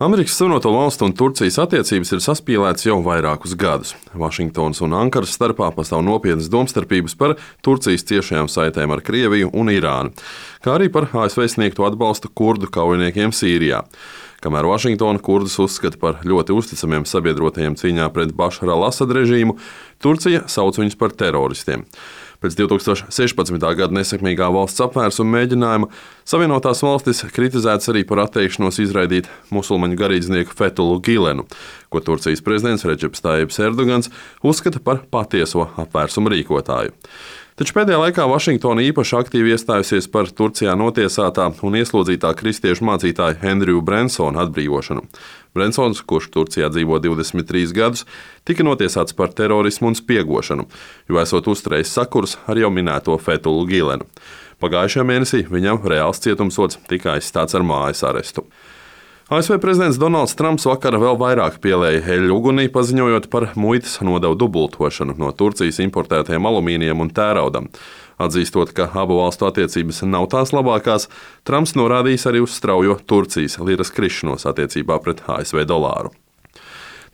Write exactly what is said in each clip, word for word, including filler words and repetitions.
Amerikas Savienoto Valstu un Turcijas attiecības ir saspīlētas jau vairākus gadus. Vašingtonas un Ankaras starpā pastāv nopietnas domstarpības par Turcijas ciešajām saitēm ar Krieviju un Irānu, kā arī par A S V sniegto atbalstu kurdu kaujiniekiem Sīrijā. Kamēr Vašingtona kurdus uzskata par ļoti uzticamiem sabiedrotajiem cīņā pret Bašara al-Asada režīmu, Turcija sauc viņus par teroristiem. Pēc divi tūkstoši sešpadsmitā gada nesekmīgā valsts apvērsuma mēģinājuma Savienotās valstis kritizētas arī par atteikšanos izraidīt musulmaņu garīdznieku Fethullu Gilenu, ko Turcijas prezidents Redžeps Tajjips Erdogans uzskata par patieso apvērsuma rīkotāju. Taču pēdējā laikā Vašingtona īpaši aktīvi iestājusies par Turcijā notiesātā un ieslodzītā kristiešu mācītāja Andrewa Brensona atbrīvošanu. Brensons, kurš Turcijā dzīvo divdesmit trīs gadus, tika notiesāts par terorismu un spiegošanu, jo esot uzturējis sakurs ar jau minēto Fethullu Gilenu. Pagājušajā mēnesī viņam reāls cietumsods tika aizstāts ar mājas arestu. A S V prezidents Donalds Trumps vakar vēl vairāk pielēja eļļu ugunī, paziņojot par muitas nodevu dubultošanu no Turcijas importētajiem alumīnijam un tēraudam. Atzīstot, ka abu valstu attiecības nav tās labākās, Trumps norādījis arī uz straujo Turcijas liras krišanos attiecībā pret A S V dolāru.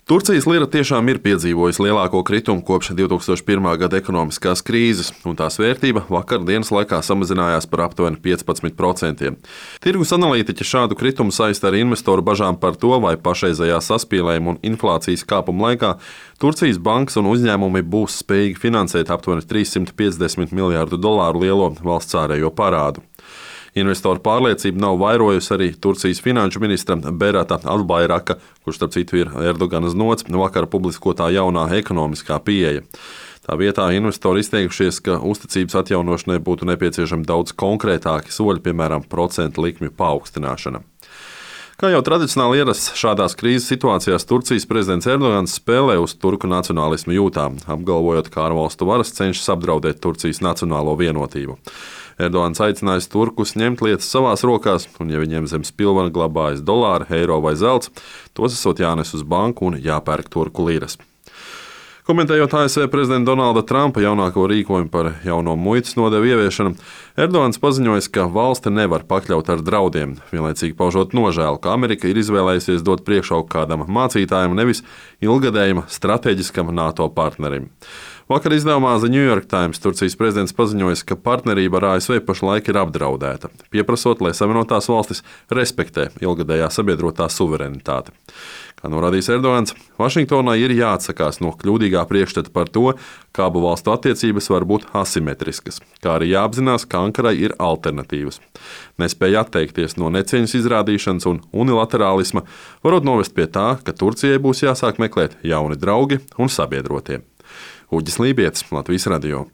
Turcijas lira tiešām ir piedzīvojusi lielāko kritumu kopš divi tūkstoši pirmā gada ekonomiskās krīzes, un tās vērtība vakar dienas laikā samazinājās par aptuveni piecpadsmit procentiem. Tirgus analītiķi šādu kritumu saista ar investoru bažām par to, vai pašreizējā saspīlējuma un inflācijas kāpuma laikā Turcijas bankas un uzņēmumi būs spējīgi finansēt aptuveni trīssimt piecdesmit miljārdu dolāru lielo valsts ārējo parādu. Investoru pārliecību nav vairojusi arī Turcijas finanšu ministra Berata Albayraka, kurš starp citu ir Erdogana znots, vakar publiskotā jaunā ekonomiskā pieeja. Tā vietā investori izteikušies, ka uzticības atjaunošanai būtu nepieciešami daudz konkrētāki soļi, piemēram, procentu likmju paaugstināšana. Kā jau tradicionāli ierasts šādās krīzes situācijās, Turcijas prezidents Erdogans spēlē uz turku nacionālismu jūtām, apgalvojot, ka ārvalstu varas cenšas apdraudēt Turcijas nacionālo vienotību. Erdogans aicinājis turkus ņemt lietas savās rokās, un ja viņiem zem spilvena glabājas dolāri, eiro vai zelts, tos esot jānes uz banku un jāpērk turku liras. Komentējot A S V prezidenta Donalda Trumpa jaunāko rīkojumu par jauno muitas nodevu ieviešanu, Erdogans paziņojis, ka valsti nevar pakļaut ar draudiem, vienlaicīgi paužot nožēlu, ka Amerika ir izvēlējusies dot priekšroku kādam mācītājam, nevis ilgadējam strateģiskam NATO partnerim. Vakar izdevumā The New York Times Turcijas prezidents paziņojis, ka partnerība ar A S V pašlaik ir apdraudēta, pieprasot, lai Savienotās valstis respektē ilgadējā sabiedrotā suverenitāti. Kā norādījis Erdogans, Vašingtonai ir jāatsakās no kļūdīgā priekšstata par to, ka abu valstu attiecības var būt asimetriskas, kā arī jāapzinās, ka Ankarai ir alternatīvas. Nespēja atteikties no necieņas izrādīšanas un unilaterālisma varot novest pie tā, ka Turcijai būs jāsāk meklēt jauni draugi un sabiedrotie. Uģis Lībietis, Latvijas radio.